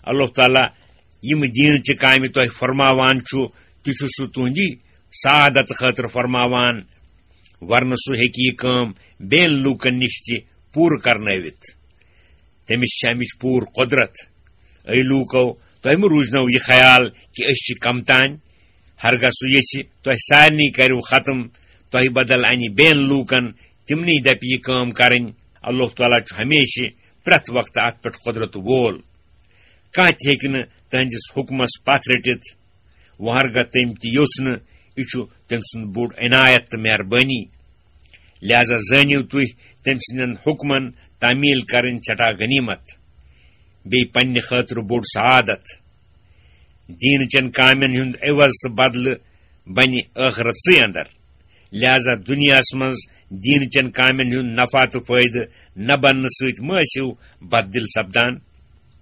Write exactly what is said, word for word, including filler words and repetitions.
اللہ تعالیٰ یِم دیٖنچہِ کامہِ تۄہہِ فرماوان چھُ، تہِ چھُ سُہ تُہنٛدِ سعادت خٲطرٕ فرماوان، ورنہٕ سُہ ہیٚکہِ یہِ کٲم بیٚین لوٗکن نِش تہِ پوٗرٕ کرنٲوِتھ۔ تٔمِس چھِ اَمِچ پوٗرٕ قۄدرت۔ اے لوٗکو، تۄہہِ مہٕ روٗزنو یہِ خیال کہِ أسۍ چھِ کم تانۍ۔ ہرگاہ سُہ یژھِ، تۄہہِ سارنٕے کَرِو ختم، تۄہہِ بدل اَنہِ بیٚین لوٗکن، تِمنٕے دَپہِ یہِ کٲم کَرٕنۍ۔ اللہ تعالیٰ چھُ ہمیشہِ پرٛٮ۪تھ وقتہٕ اَتھ پٮ۪ٹھ قۄدرت وول۔ کانٛہہ تہِ ہیٚکہِ نہٕ تٕہٕنٛدِس حُکمس پتھ رٔٹِتھ۔ وۄنۍ ہرگاہ تٔمۍ تہِ یوٚژھ نہٕ، یہِ چھُ تٔمۍ سُنٛد بوٚڑ عنایت تہٕ مہربٲنی۔ لہذا زٲنِو تُہۍ تٔمۍ سٕنٛدٮ۪ن حُکمن تعمیٖل کرٕنۍ سٮ۪ٹھاہ غنیٖمت، بیٚیہِ پننہِ خٲطرٕ بوٚڑ سعادت۔ دیٖنہٕ چٮ۪ن کامٮ۪ن ہُنٛد عوض تہٕ بدلہٕ بنہِ ٲخرتسٕے اندر۔ لہذا دُنیاہس منٛز دیٖنہٕ چٮ۪ن کامٮ۪ن ہُنٛد نفع تہٕ فٲیدٕ نہ بننہٕ سۭتۍ مہ ٲسِو بددِل سپدان۔